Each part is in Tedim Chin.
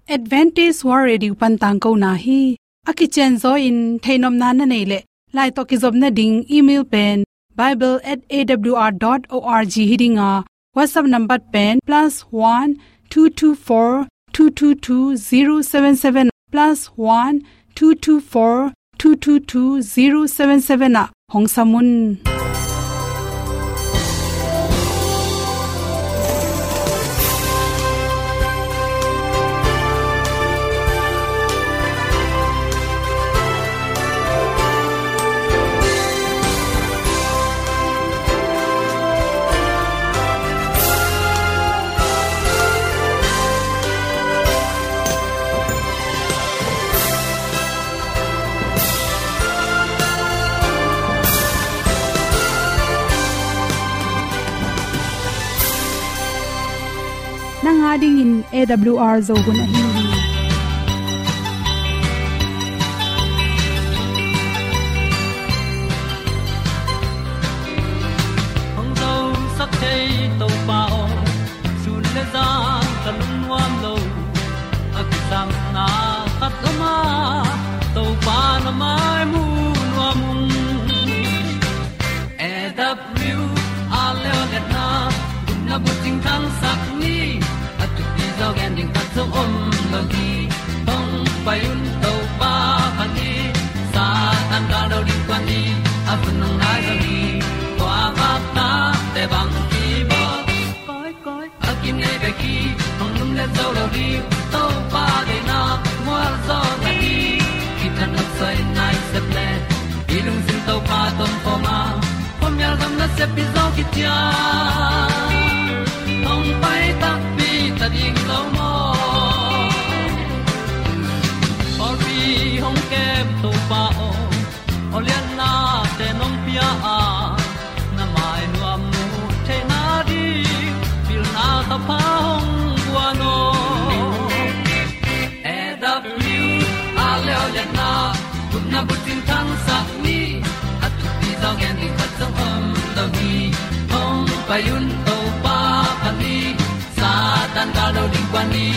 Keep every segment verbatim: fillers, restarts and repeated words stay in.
Adventist World Radio pan tangkona hi. A kicianzaw in theihnopna na neih leh, lai tawh kizopna ding email pen bible at A W R dot org hi ding a, WhatsApp number pen plus one two two four two two two zero seven seven, plus one two two four two two two zero seven seven ah hong sam un. Nang a dingin A W R Zo hun ahi hi. Hong zosak thei Topa aw, sun le zan ka lungnuam lo. A kisapna khat om a, Topa na mai mu nuam ung. A W R Zo liatna, gupna bucing thangsak ni. A thupi zaw gen ding khat zong om lo hi. Hong pai un Topa phat ni. Satan gal do ding kuan ni. A hun hong nai zo hi. Kua bak ta te bang ki bawl. Koi, koi, a kinei bek hi, hong lumlet zo lo ding. Topa deihna mual zaw na hi. Kitang nok soi nai sep le, i lungsim Topa tawh om khawm a, khuamial gam nasep pi zaw kician. Hong pai takpi ta ding lo maw? Pawlpi hong kem Topa aw, aw lianna te nong pia a, na mai nuam mu theihna ding, pilna thapha hong guan aw. A W R Zo liatna, gupna bucing thangsak ni. A thupi zaw gen ding khat zong om lo hi. Hong pai un Topa phat ni. Satan gal do ding kuan ni.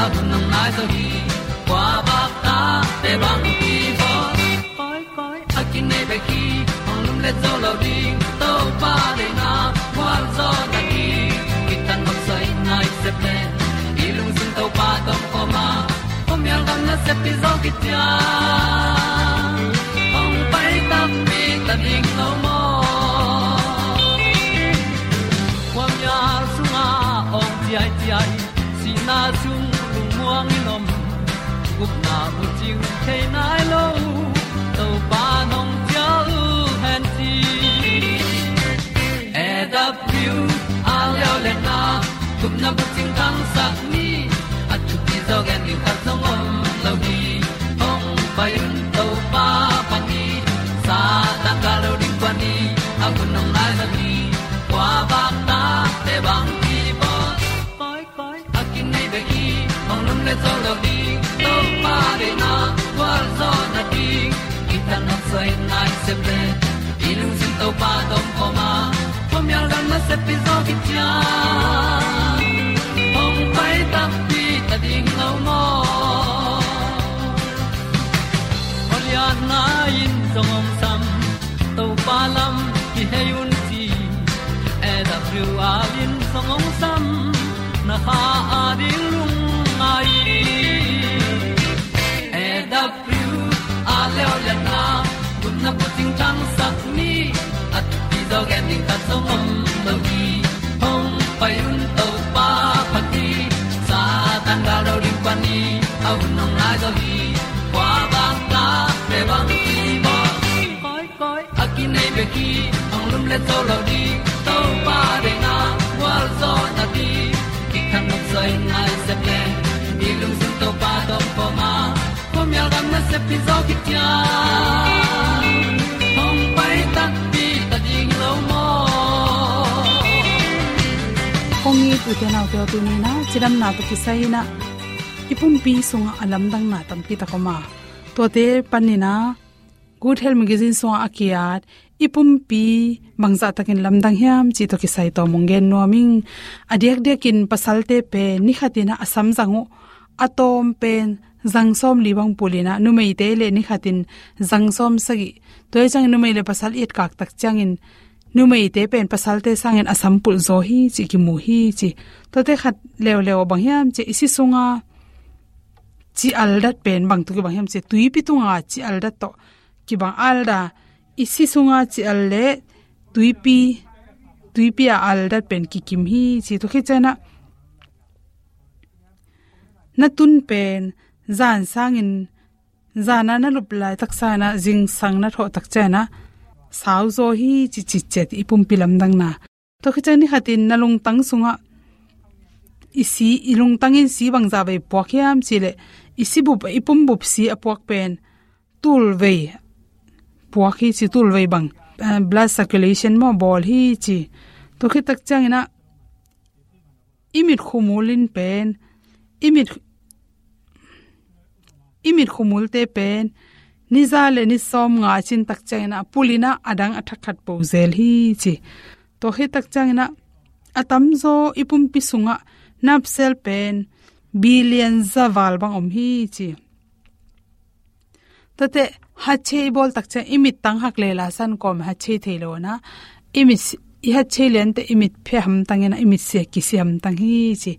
A hun hong nai zo hi. Kua bak ta te bang ki bawl. Koi, koi, a kinei bek hi, hong lumlet zo lo ding. Topa deihna mual zaw na hi. Kitang nok soi nai sep le, i lungsim Topa tawh om khawm a, khuamial gam nasep pi zaw kician. Hong pai takpi ta ding lo maw? Khuamial sungah awng ciaiciai, sihna sung lungmuang in om, gupna bucing thei nai lo, Topa nong cial hen ci. A W R Zo liatna, gupna bucing thangsak ni. A thupi zaw gen ding khat zong om lo hi. Hong pai un Topa phat ni. Satan gal do ding kuan ni. A hun hong nai zo hi. Kua bak ta te bang ki bawl. Koi, koi, a kinei bek hi, hong lumlet zo lo ding. Topa deihna gualzawhna ding, kitang nok soi nai sep le, i lungsim Topa tawh om khawm a, khuamial gam nasep pi zaw kician. Hong pai takpi ta ding lo maw? Aw lianna in zong hong sam, Topa lam kihei un ci. A W R in zong hong sam, na kha a ding lungngai. A W R Zo liatna, gupna bucing thangsak ni. A thupi zaw gen ding khat zong om lo hi. Hong pai un Topa phat ni. Satan gal do ding kuan ni. A hun hong nai zo hi. Kua bang ta te bang ki bawl. Koi, koi, a kinei bek hi, hong lumlet zo lo ding. Topa deihna gualzawhna ding, kitang nok soi nai sep le, i lungsim Topa tawh om khawm a, khuamial gam nasep pi zaw kician. Hong pai takpi ta ding lo maw? Kong it u te nau te aw, tuni in ah cidamna tawh kisai in ah i pumpi sungah a lamdangna tampi tak om a, tuate panin ah Good Health Magazine sungah a ki-at i pumpi bangzah takin lamdang hiam cih tawh kisai tawm hong gen nuam ing. A diakdiakin pasalte pen ni khat in ah a sam zang uh, a tawm pen zang sawmli bang pul in ah, numeite le ni khatin zang sawmsagih. Tua hi ciangin numei le pasal i etkak tak ciangin numeite pen pasalte sangin a sam pulh zaw hi ci, kimu hi ci. Tuate khat leuleu bang hiam ci, i si sunga ci aldat pen bang tawh kibang hiam ci, tuipi tunga ci aldat tawh kibang. Alda, i si sunga ci al le tuipi, tuipi a aldat pen kikim hi ci. Tua khit ciangin ah na tun pen zan sangin, zana na lup laitak sangin ah zingsang na thawh tak ciangin ah sau zaw hi ci, ci ciat i pumpi lamdangna. Tua khit ciang ni khatin na lungtang sungah i si, i lungtangin si bangzah vei puak hiam ci leh, i si bup, i pum bup si a puak pen tulvei puak hi ci, tulvei bang, eh, blood circulation maw, bawl hi ci. Tua khit tak ciangin ah i mit khumul in pen, i mit, i mit khumulte pen ni za le ni sawmnga cin tak ciangin ah pul in ah a dang a thak khat po zel hi ci. Tua khit tak ciangin ah a tamzaw i pumpi sungah nerve cell pen billion za val bang om hi ci. Tuate hatchei i bawl tak ciang i mit tang hak le la san kawm hatchei thei lo na. I mit si-, i hatchei liante i mit phe hamtang in ah i mit sia kisi hamtang hi ci.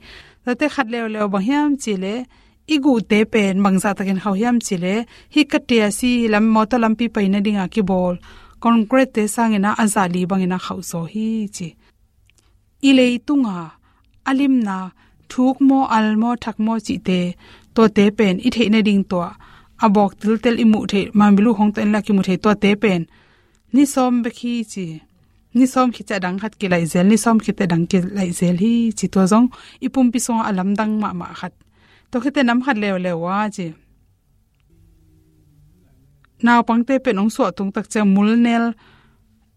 Tuate khat leuleu bang hiam ci leh, i guhte pen bangzah takin khauh hiam ci leh, hih ka tia si lam, mawtaw lampi paina dinga kibawl concrete sangin ah a zali bangin ah khauh zaw hi ci. I leitunga a limna, thuk maw, al maw, thak maw cihte, tuate pen i theih nading tua a bawk tiltel i muh theih, mamilu hong tawh in la kimu thei tuate pen ni sawm bek hi ci. Ni sawm khit ciang a dang khat kilaih zel, ni sawm khit ciang a dang kilaih zel hi ci. Tua zong i pumpi sungah a lamdang mahmah khat. Tua khit ciang nam khat leuleu a ci, naupangte pen hong suah tung tak ciang mulnel,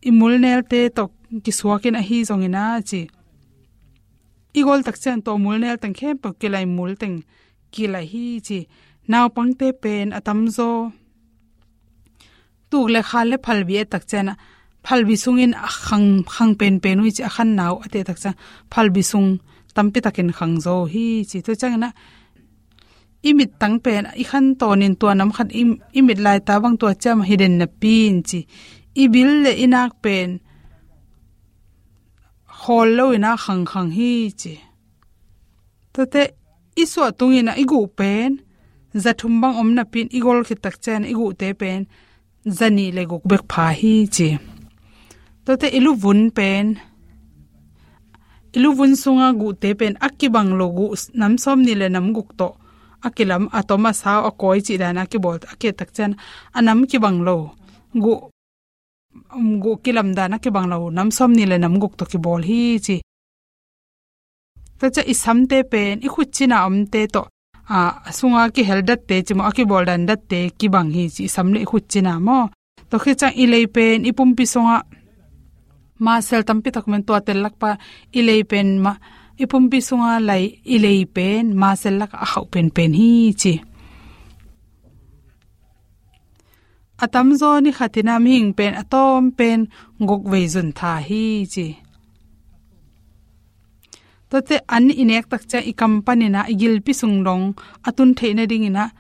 i mulnelte tawh kisuakin ahi zongin a ci, i gol tak ciang tua mulnel teng khempeuh kilaih, mul teng kilaih hi ci. Naupangte pen a tamzaw tuk le khal le phalbi et tak ciang ah, phalbi sungin a khang, khang penpen uh hi ci, a khanna uh a teh tak ciang phalbi sung tampi takin khang zaw uh hi ci. Tua ciangin ah i mit tang pen i khan tawnin tua nam khat i, i mit laita bang tua ciam hi den napi in ci, i bil le i nak pen khawl lo in ah khangkhang hi ci. Tuate i suah tungin ah i guh pen za thum bang om napi in i gol khit tak ciang i guhte pen za nih le guk bek pha hi ci. Tuate i luvun pen, i luvun sunga guhte pen a kibang lo guh nam sawmnih le nam guk tawh a kilam, a tom a sau a kawi cih dan a kibawl, a kiat tak ciang a nam kibang lo guh, um, guh kilam dan a kibang lo nam sawmnih le nam guk tawh kibawl hi ci. Tua ciang i samte pen i khut cina omte tawh, a, a sunga kihel datte ci maw, a kibawl dan datte kibang hi ci, i sam le i khut cina maw. Tua khit ciang i lei pen i pumpi sungah muscle tampi tak om in, tua tel lak pan i lei pen ma, i pumpi sunga lei, i lei pen muscle lakah a khauh penpen hi ci. A tamzaw ni khatin ah mihing pen a tawm pen guk vei zun tha hi ci. Tuate an i nek tak ciang i kam panin ah i gilpi sung dong a tun theih nadingin ah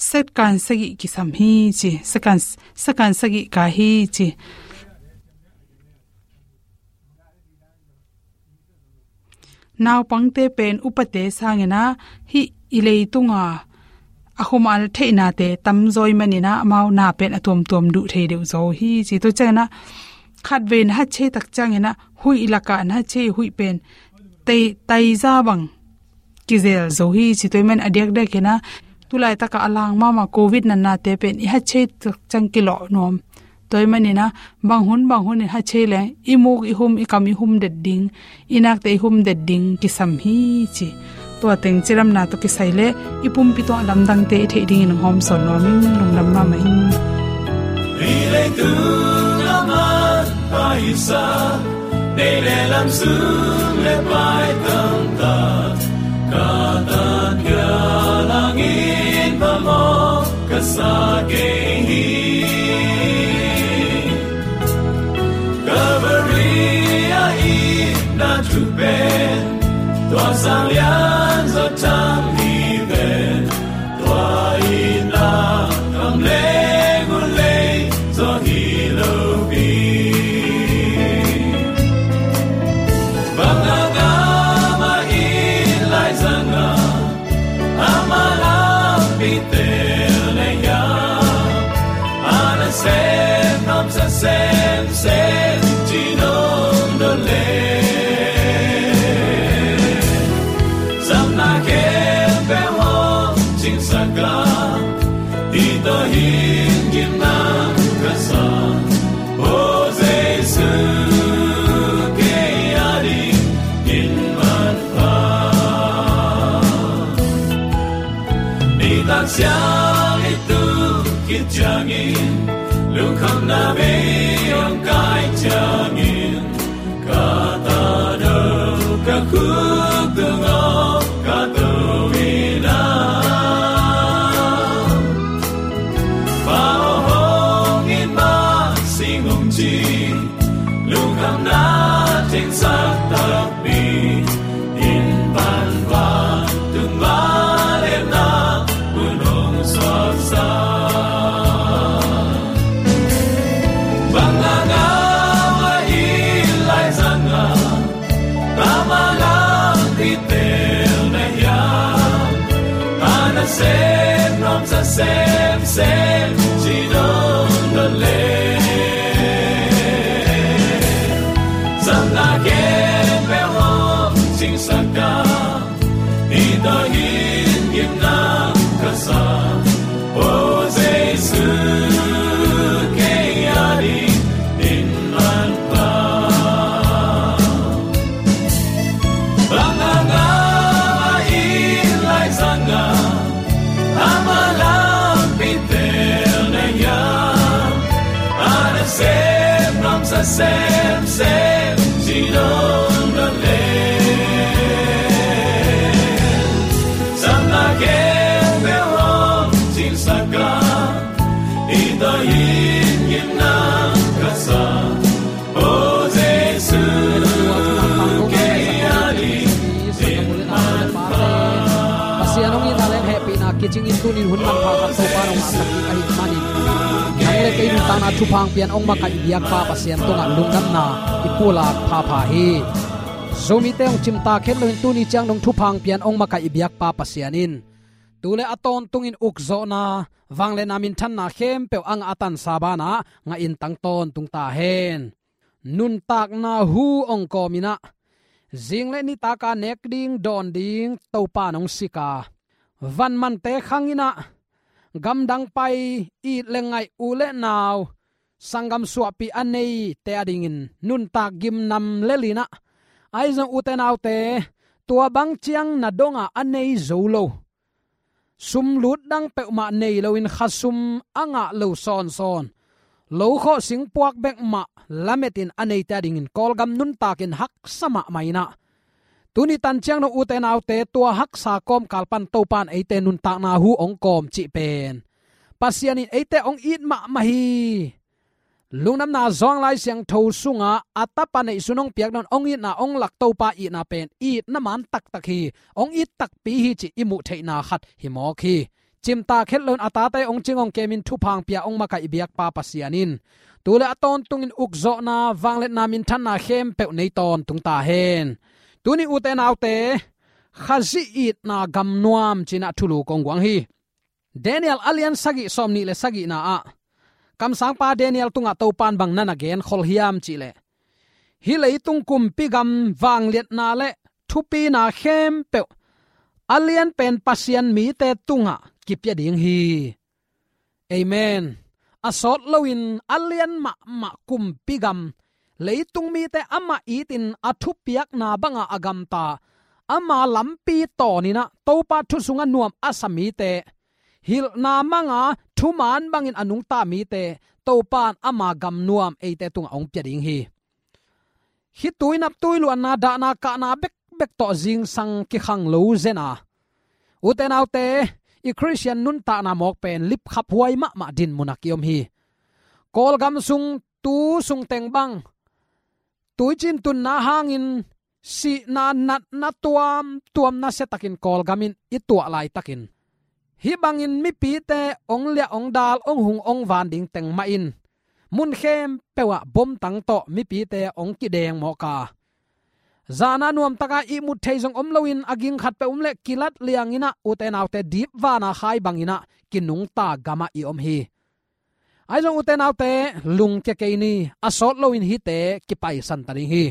second sagih kisam hi ci. Second, second sagih ka hi ci. Naupangte pen upate sangin ah hih i leitunga a khumal theihnate tamzaw ahih manin ah amau na pen a tuamtuam duh thei deuh zaw uh hi ci. Tua ciangin ah khatvei na hatchei tak ciangin ah huih lakah na hatchei, huih pen tai, taiza bang kizel zo hi ci. Tua ahih manin a diakdiakin ah tulaitakah a lang mahmah covid natnate pen i hatchei tak ciang kilawh nuam. Tua ahih manin ah bang hun bang hun in hatchei leng i muk i hum, i kam i hum det ding, i nakte i hum det ding kisam hi ci. Tua teng cilamna tawh kisai leh i pumpi tungah lamdangte i theih dingin hong hawmsawn nuam ing. Lungdam mahmah ing. Hih leitung a manpha i sa, nei le lam sung le pai tamtak, ka tan ka langin phamawh ka sa kei hi. Calvary a itna thu pen, tua sang lian zawh Hing gimna ka sa, O Jesu, kei a dingin manpha. Nitak siang i tu khit ciangin, lungkhamna bei hong kai ciangin, ka tano ka khuk tung aw ka to in ah, Pa aw hong it mah sing hong ci, lungkhamna tengsak takpi in pan vantung vangliatna hun hong suaksak. Bang a ngau a it laizang a, tama lampi tel na hiam? A nasem nuamsa semsem ci dongdon le, zamna khempeuh hong cingsak a, i tawh hing gimna ka sa, O Jesu, kei a dingin manpha. Bang a ngau a it laizang a, tama lampi tel na hiam? A nasem nuamsa semsem ci dongdon le, zamna khempeuh hong cingsak a, i tawh hing gimna ka sa, O Jesu, kei a dingin manpha. Pasian hong itna leh hehpihna kicingin tunin hun manpha khat Topa nong ngahsak ding ahih manin, nang le kei nuntakna thupha hong pia-in hong makaih biakpa Pasian tungah lungdamna i pulak phapha hi. Zomite hong cimtak het loin tuni ciang dong thupha hong pia-in hong makaih biakpa Pasian in tu le a tawntungin ukzawhna, vangliatna, minthanna khempeuh a ngah a tansa banah ngahin tang tawntung ta hen. Nuntakna hu hong kawm in ah, zing le nitak a nek ding dawn ding Topa nong sik a, van mante khang in ah, gamdang pai, it le ngaih, u le nau, sanggam suahpih a neite a dingin nuntak gimnam lel in ah, ahi zong ute naute, tua bang ciang na dong a a nei zo lo, sum lut dang peuhmah nei loin khasum a ngah lo sawnsawn, lo khawh singpuak bek mah lametin a neite a dingin Kawlgam nuntakin haksa mahmah in ah, tuni tan ciang dong ute naute, tua haksa kawmkal pan Topa in eite nuntakna hu hong kawm cih pen Pasian in eite hong it mahmah hi. Lungdamna, Zawng Lai Siangtho sungah a tapa neihsun hong piak dong, hong itna, hong lak Topa itna pen itna man taktak hi, hong it takpi hi cih i muh theihna khat hi mawk hi. Cimtak het loin a tate hong cing hong kemin thupha hong pia hong makaih biakpa Pasian in tu le a tawntungin ukzawhna, vangliatna, minthanna khempeuh nei tawntung ta hen. Tuni ute naute, Khazih itna gamnuam ci-in ah thulu kong guang hi. Daniel a lian sagih, sawmnih le sagihna ah, kamsangpa Daniel tungah Topa in bang na na genkhol hiam cih leh, hih leitung kumpi gam vangliatna le thupina khempeuh a lianpen Pasian mite tungah kipia ding hi. Amen. A sawt loin a lian mahmah kumpi gam, leitung mite amah itin a thupiakna banga a gamta, ama lampi tawn in ah Topa thu sungah nuam a sa mite, hilhna manga thuman bangin a nungta mite, Topa in ama gamnuam eite tungah hong pia ding hi. Khitui naptui luanna, dahna kahna bekbek tawh zingsang kikhang lo zen a, ute naute, i Khristian nuntakna mawk pen lipkhaphuai mahmah dinmun ah ki-om hi. Kawlgam sung tu sung teng bang tuiciin tunna hangin sihna, natna tuamtuam nasiatakin Kawlgam in i tuah laitakin, hih bangin mipite hong liah hong dal, hong hung hong van ding teng mah in mun khempeuh ah bomtang tawh mipite hong kideng mawk a, zana nuamtaka ihmut thei zong om loin a ging khat peuh om leh kilat liang in ah, ute naute, dip vana khai bangin ah kinungta gamah i om hi. Ahi zong ute naute, lungkia kei ni, a sawt loin hihte kipaisan ta ding hi.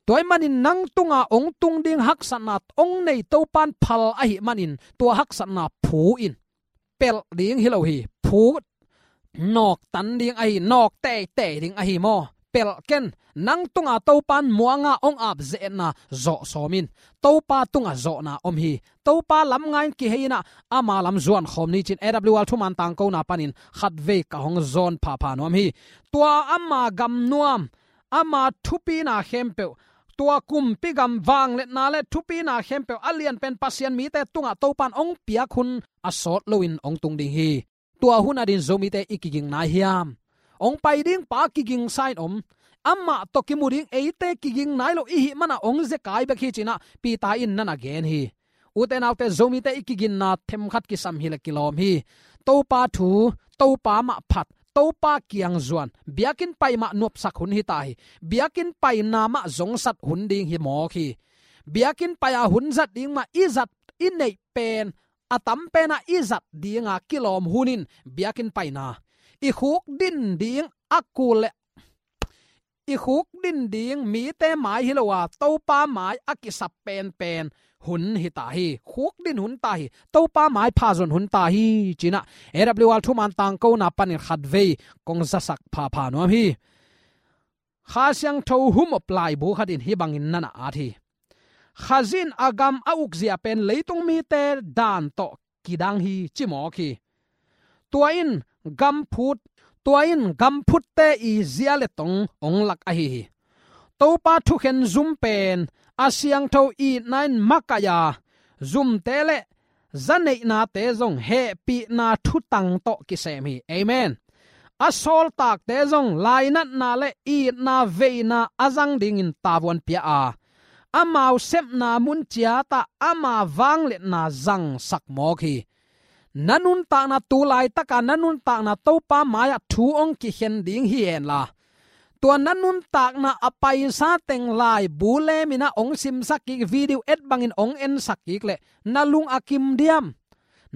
Tua ahih manin nang tunga hong tung ding haksatna hong nei Topa in phal ahih manin tua haksatna phu in, pelh ding hi lo hi, phu nawktan ding ahi, nawk teitei ding ahi maw? Pelh ken, nang tunga Topan muanga hong ap ze-etna zawh sawm in. Topa tunga zawhna om hi. Topa lam ngai-in kihei in ah, ama lam zuan khawm ni ci-in A W R thuman tangkona panin khatvei ka hong zawn phapha nuam hi. Tua ama gamnuam, ama thupina khempeuh, tua kumpi gam vangliatna le thupina khempeuh a lianpen Pasian mite tungah Topan hong piak hun a sawt loin hong tung ding hi. Tua hun adingin Zomite i kiging nai hiam? Hong pai ding pa kigingsa in om. Amah tawh kimu ding eite kiging nai lo i hih manin hong zekai bek hi ci-in ah Peter in na na gen hi. Ute naute, Zomite i kiginna themkhat kisam hileh kilawm hi. Topa thu, Topa mah phat, Topa kiang zuan, biakinn pai mah nuamsak hun hi ta hi. Biakinn paina mah zongsat hun ding hi mawk hi. Biakinn pai-a hun zat ding mah i zat i neih pen, a tam pen ah i zat dinga kilawm hun in biakinn paina. I khukdin ding a kul le i khukdin ding mite mai hi lo a, Topa mai a kisap penpen hun hi ta hi. Khukdin hun ta hi. Topa mai pha zon hun ta hi ci-in ah A W R thuman tangkona panin khatvei kong zasak phapha nuam hi. Kha Siangtho humop laibu khat in hih bangin na na at hi. Khazih in a gam a ukzia pen leitung mite dan tawh kidang hi ci mawk hi. Tua in gam phut, tua in gam phutte i zia le tong hong lak ahi hi. Topa thukhen zum pen a siangtho itna in makaih a, zumte le zaneihnate zong hehpihna thutang tawh kisem hi. Amen. A sawltakte zong lainatna le itna veina a zang dingin tavuan pia a, amau sepna mun ciatah ama vangliatna zangsak mawk hi. Na nuntakna, tu laitaka na nuntakna Topa mai-ah thu hong kikhen ding hi henla, tua na nuntakna a paisa teng laibu lemin ah hong simsak kik, video et bangin hong ensak kik leh na lung a kim diam?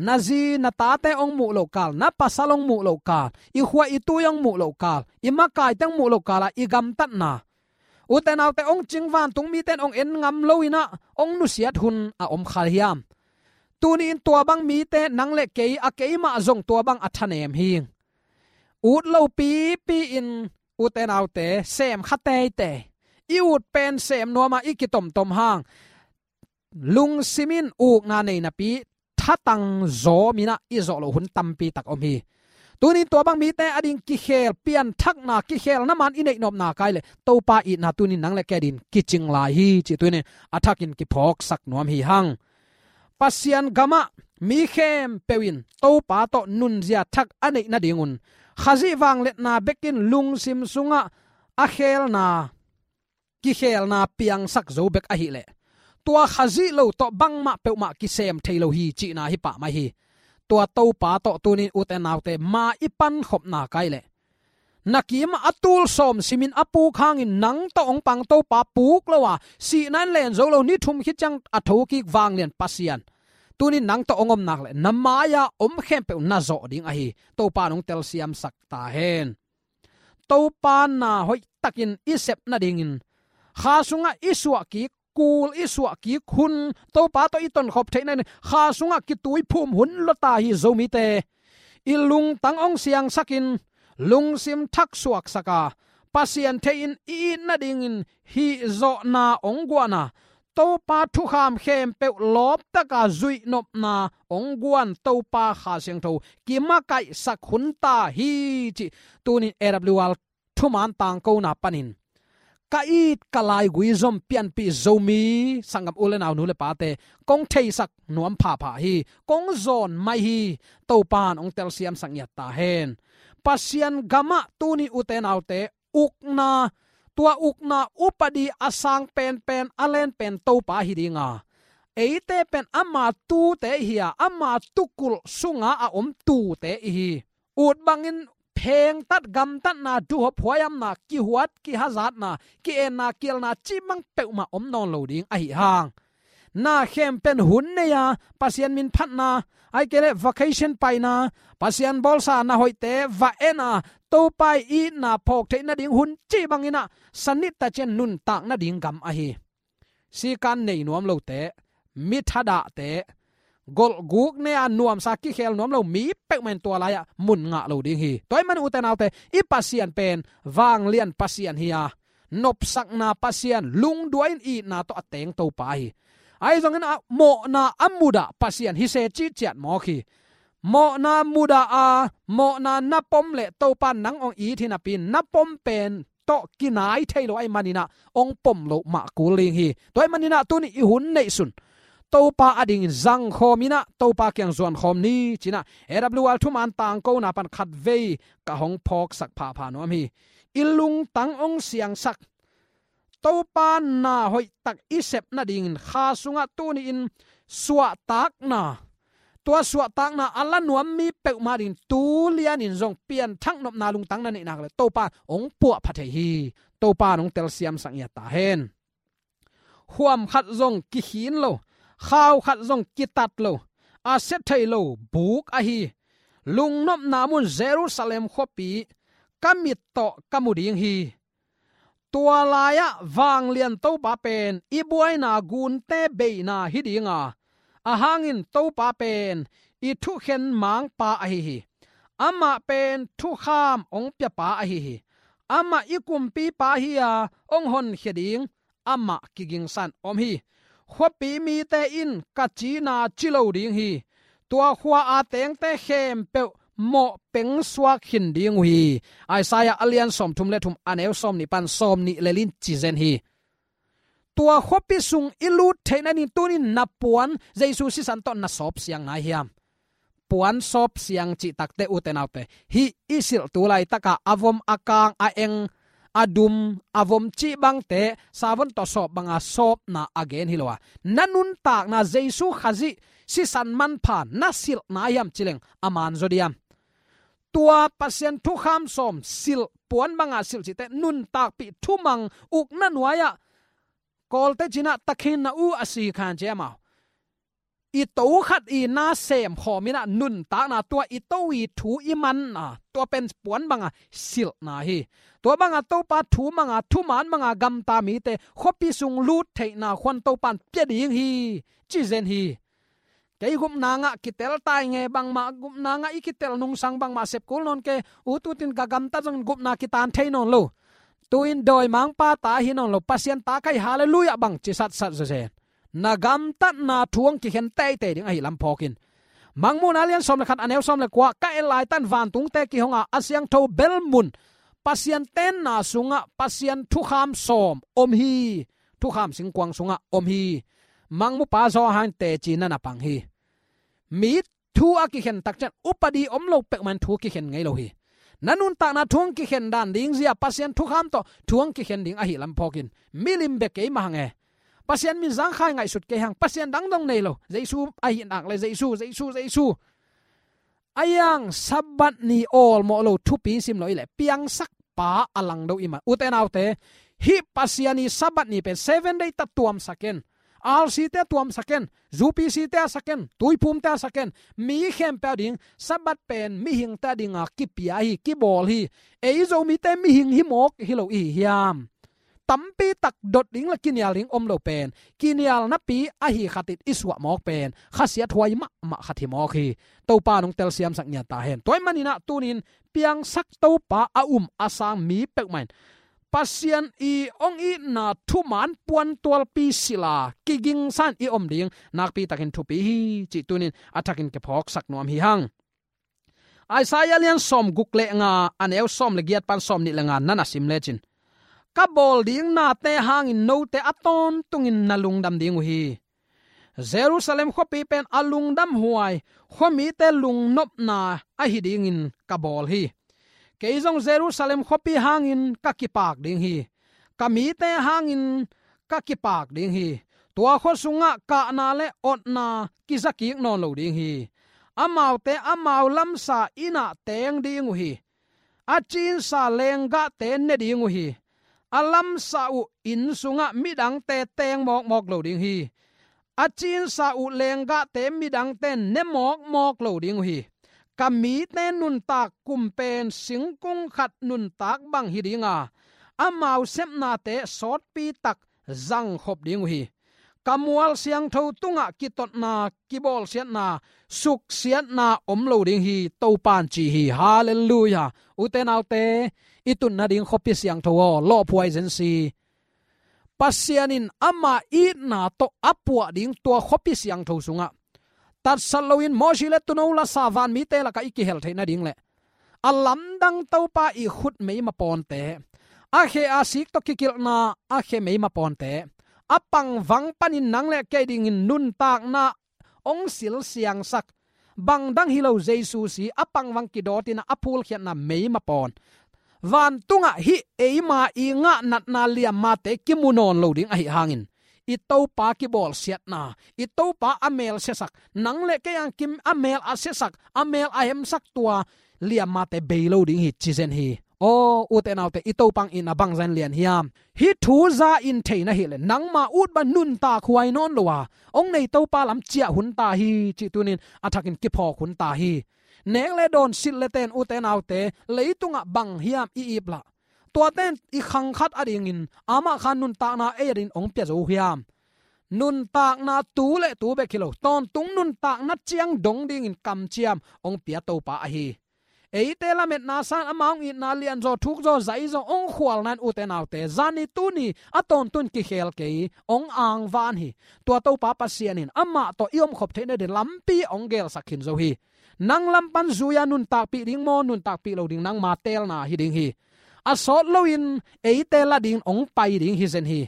Na zi na tate hong muh loh kal, na pasal hong muh loh kal, i khua i tui hong muh loh kal, i makaite hong muh loh kal-a i gamtatna. Ute naute, hong cing vantung mite in hong en ngam lo-in ah hong nusiat hun a om kha hiam? Tuni-in tua bang mite, nang le kei, a keimah zong tua bang a thanem hi. Ut lo pipi-in, ute naute, sem kha teitei. I ut pen sem nuam a i kitomtom hang, lungsim in ukna nei napi, thatang zawmin ah i zawh loh hun tampi tak om hi. Tuni-in tua bang mite ading kikhel, pianthakna, kikhelna man i neih nop nak leh, Topa itna tuni-in nang le kei adingin kicing lai hi cih tuni-in a thakin kiphawksak nuam hi hang. Pasian gamah mi khempeuh in Topa tawh nunzia thak a neih nadingun, Khazih vangliatna bekin lungsim sungah a khelna, kikhelna piangsak zo bek ahih leh, tua Khazih lo tawh bangmah peuhmah kisem thei lo hi cihna hi pah mai hi. Tua Topa tawh tuni-in, ute naute, ma i pankhop nak leh, na kimah a tul sawm simin a puk hangin nang tawh hong pang Topa puk lo a, sihna in len zo lo, ni thum khit ciang a thokik vanglian Pasian, tuni-in nang tawh hong om nak leh, na mai-a om khempeuh na zawh ding ahi. Topa in hong telsiamsak ta hen. Topa na hoihtakin i sep nadingin, kha sungah i suahkik, kul i suahkik hun, Topa tawh i tonkhop theih nadingin kha sungah kituiphum hun lua ta hi, Zomite. I lungtang hong siangsakin, lungsim thak suaksak a, Pasian thei-in i it nadingin hihzawhna hong guan a, Topa thukham khempeuh lawptaka zuihnopna hong guan Topa Kha Siangtho kimakaihsak hun ta hi cih tuni-in A W R thuman tangkona panin ka it ka laigui zom pianpih Zomi sanggam u le nau, nu le pate, kong theisak nuam phapha hi, kong zawn mai hi. Topa in hong telsiamsak ngiat ta hen. Pasian gamah tuni-in, ute naute, ukna, tua ukna upadi a sang penpen, a lenpen Topa hi ding a, eite pen ama tuute ihi a, ama tukulh sunga a om tuute ihi. Ut bangin phengtat, gamtatna, duhop huaihamna, kihuat, kihazatna, ki-enna, kielna cih bang peuhmah om nawn lo ding ahi hang. Na khempeuh in hun nei a, Pasian min phatna, ahih kei leh vacation paina, Pasian bawlsa na hoihte va en a, Topa i itna phawk theih nading hun cih bangin ah, sanittacin nuntak nading gam ahi. Sikan nei nuam lote, mi thadahte, golhguk ne-a nuamsa kikhel nuam lo mi peuhmah in tua lai-ah mun ngah lo ding hi. Tua ahih manin ute naute, i Pasian pen vanglian Pasian hi-a, nopsakna Pasian, lungduai-in itna tawh a teng Topa hi. Ahi zongin a mawhna a mudah Pasian hi se cih ciat mawk hi. Mawhna mudah a, mawhna na pom leh Topa nang hong it hi napi-in, na pom pen tawh kinai thei lo ahih manin ah hong pom loh mah kul ding hi. Tua ahih manin ah tuni i hun neihsun Topa adingin zangkhawm in ah Topa kiang zuankhawm ni ci-in ah A W R thuman tangkona pan khatvei ka hong phawksak phapha nuam hi. I lungtang hong siangsak, Topa na hoihtak i sep nadingin kha sungah tuni-in suahtakna, tua suahtakna a la nuam mi peuhmah dingin tu lianin zong pianthak nopna lungtang na neih nak leh Topa hong puahpha thei hi. Topa in hong telsiamsak ngiat ta hen. Huam khat zong kikhin lo, khau khat zong kitat lo, a sia thei lo buk ahi, lungnopna mun Jerusalem khuapi ka mit tawh ka mu ding hi. Tua lai-ah vanglian Topa pen i buaina gunte beihna hi ding a, a hangin Topa pen i thukhen mangpa ahi hi. Amah pen thukham hong piapa ahi hi. Amah i kumpipa hi-a, hong honkhia ding amah kigingsan om hi. Khuapi mite in ka cina ci lo ding hi. Tua khua-a tengte khempeuh mawh peng suak khin ding uh hi. Isaiah a lian sawmthum le thum, a neu sawmnih pan sawmnih le li-in ci zen hi. Tua khuapi sung i lut theih nading tuni-in na puan Jesu sisan tawh na sawp siang nai hiam? Puan sawp siang cih takteh ute naute, hih i silh tu laitaka a vom, a kang, a eng, a dum, a vom cih bangte savon tawh sawp banga sawpna a gen hi lo a, na nuntakna Jesu Khazih sisan manpha na silh nai hiam ci leng a man zaw diam? Tua Pasian thukham sawm silh, puan banga silh cihte nuntakpih thumang ukna nuai-ah Kawlte cina takhin na u a si khan ci amau. I to khat i na sem khawm in ah nuntakna, tua i to i thu i manna, tua pen puan banga silhna hi. Tua banga Topa thu manga, thuman manga gamta mite khuapi sung lut theihna khuan Topa in pia ding hi, ci zen hi. Kei gupna ngah kitel tai nge, bangmah gupna ngah i kitel nungsang bangmah sep kul nawn kei, u tutin ka gamtat zongin gupna kitan thei nawn lo. Tu-in dawimangpa ta hi nawn lo, Pasian ta ka hi, halleluiah bang ci satsat zawzen. Na gamtatna thu hong kikhen teitei ding ahi lam phawk in. Mangmuhna lian sawm le khat, a neu sawm le kua, ka et laitan vantungte kihong a, a siangtho bel mun Pasian tenna sungah Pasian thukham sawm om hi. Thukham singkuang sungah om hi. Mangmupa Johan teci na na pang hi. Mi thu a kikhen tak ciang upadi om lo peuhmah in thu kikhen ngei lo hi. Na nuntakna thu hong kikhen dan ding zia Pasian thukham tawh thu hong kikhen ding ahi lam phawk in. Milim bek kei mah hang e. Pasian min zangkhai ngaihsut kei hang. Pasian dang dong nei lo. Jesu ahi nak le Jesu, Jesu, Jesu. A yang Sabbath ni awlmawh lo thupi sim lo i leh piangsak pa a langdo i man. Ute naute, hih Pasian i Sabbath ni pen seven day ta tuamsak in. R C te a tuamsak in, U P C te a sak in, tuiphum te a sak in, mi khempeuh a ding, Sabbath pen mihingte a dinga kipia hi, kibawl hi, ei Zomite mihing hi mawk hi lo i hi hiam? Tampi tak dot ding le kinial ding om lo pen, kinial napi ahi khatin i suah mawk pen, khasiat huai mahmah khat hi mawk hi. Topa nong telsiamsak ngiat ta hen. Tua ahih manin ah tunin piangsak Topa a um a sang mi peuhmah in Pasian i hong itna thuman puantualpi silh a kigingsan i om ding nakpi takin thupi hi cih tunin a thakin kiphawksak nuam hi hang. Isaiah lian sawmguk le nga, a neu sawm le giat pan sawmnih le nga na na sim lecin, ka bawl ding nate hangin note a tawntungin na lungdam ding uh hi. Jerusalem khuapi pen a lungdamhuai, khuamite lungnopna ahi dingin ka bawl hi. Kei zong Jerusalem khuapi hangin ka kipak ding hi. Ka mite hangin ka kipak ding hi. Tua khua sungah kahna le otna kizakik nawn lo ding hi. Amaute amau lamsa innah teng ding uh hi. A cinsa lenggahte ne ding uh hi. A lamsa uh inn sungah midangte teng mawkmawk lo ding hi. A cinsa uh lenggahte midangte ne mawkmawk lo ding uh hi. Ka mite nuntak kum pen singkung khat nuntak bang hi ding a, amau sepnate sawtpi tak zangkhop ding uh hi. ka mual siangtho tungah kitotna, kibawlsiatna, suksiatna om lo ding hi, Topa'n ci hi. Halleluiah. Ute naute, i tun nading khuapi siangtho aw, lawhphuai zen si. Pasian in ama itna tawh a puah ding tua khuapi siangtho sungah tatsat loin Mosi le Tuuno lasa vanmite lakah i kihel theih nading le a lamdang Topa i khut meima pawnte, a khe a sik tawh kikilhna a khe meima pawnte, a pangvang panin nang le kei dingin nuntakna hong silsiangsak, bangdang hi lo Jesu si a pangvang kidawtin a phulkhiatna meima pawn, vantungah hih eima i ngah natna liammate kimu nawn lo ding ahi hangin, i Topa kibawlsiatna, i Topa a mel siasak, nang le kei a kim a mel a siasak, a mel a hemsak tua liammate bei lo ding hi, ci zen hi. Aw, ute naute, i Topa hong itna bangzah in lian hiam? Hih thu za in thei na hih leh, nangma ut bang nuntak huai nawn lo a, hong nei Topa lam ciah hun ta hi, cih tunin a thakin kiphawk hun ta hi. Nek le dawn, silh le ten, ute naute, leitungah bang hiam i ip lah? Tuate in i khang khat adingin amah kha nuntakna ei adingin hong pia zo uh hiam? Nuntakna tu le tu bek hi lo, tawntung nuntakna ciang dong dingin kamciam hong pia Topa ahi. Eite lametna san, ama hong itna lianzaw, thukzaw, zaizaw hong khualna in, ute naute, zani tuni a tawntung kikhel kei, hong angvan hi. Tua Topa Pasian in amah tawh i omkhop theih nading lampi hong gelsak khin zo hi. Nang lam pan zui-a nuntakpih ding maw, nuntakpih lo ding, nangma teelna hi ding hi. A sawt loin eite la dingin hong pai ding hi zen hi.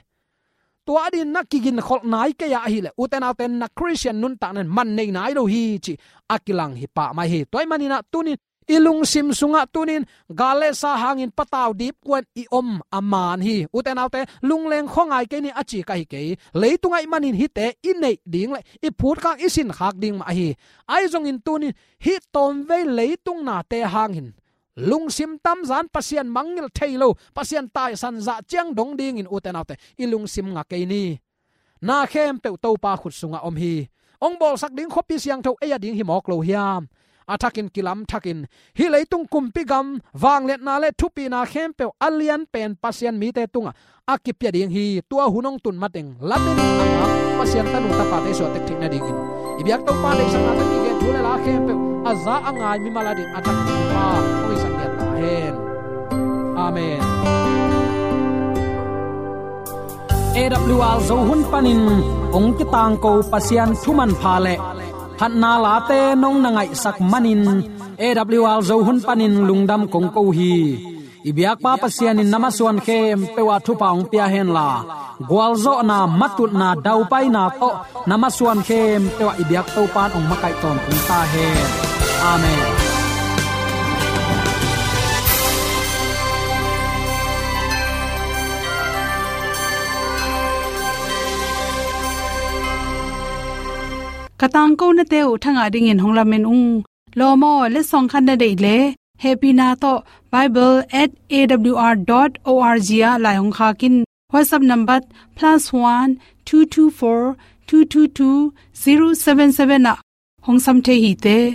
Tua adingin na kiginkholh nai kei a ahih leh, ute naute, na Khristian nuntakna in man nei nai lo hi, cih a kilang hi pah mai hi. Tua ahih manin ah tunin i lungsim sungah tunin gal le sa hangin patau dipkuan i om a man hi. Ute naute, lungleng khuangai kei ni a ci ka hi kei. Leitung ahih manin hihte i neih ding le i phutkhak, i sinkhak ding mah ahi. Ahi zongin tunin hih tawmvei leitung nate hangin lungsim tamzan, Pasian mangngilh thei lo, Pasian taisan zah ciang dong dingin, ute naute, i lungsim nga kei ni. Na khempeuh Topa khut sungah om hi. Hong bawlsak ding khuapi siangtho ei a ding hi mawk lo hiam? A thakin kilamthakin, hih leitung, kumpi gam, vangliatna le thupina khempeuh a lianpen Pasian mite tungah a kipia ding hi. Tua hun hong tun mateng, lamen in a ngak Pasian tanu tapate suah tek theih nadingin, i biak Topa deihsakna tawh kigen thu le la khempeuh a za a ngai mimal adingin a thakin Pa hong hisak lian ta hen. Amen. A W R Zo hun panin hong kitangko Pasian thu manpha le phatna late nong na ngaihsak manin, A W R Zo hun panin lungdam kong ko hi. I biakpa Pasian in na masuan khempeuh ah thupha hong pia henla, gualzawhna, matutna, daupaina tawh na masuan khempeuh ah i biak Topa in hong makaih tawntung ta hen. Amen. Ka tangkonate uh thangah dingin hong lamen ung. Lawm aw, letsong khat na deih leh, hehpihna tawh bible at A W R dot O R G ah lai hong khak in. WhatsApp number plus one two two four two two two zero seven seven ah hong sam thei hi te.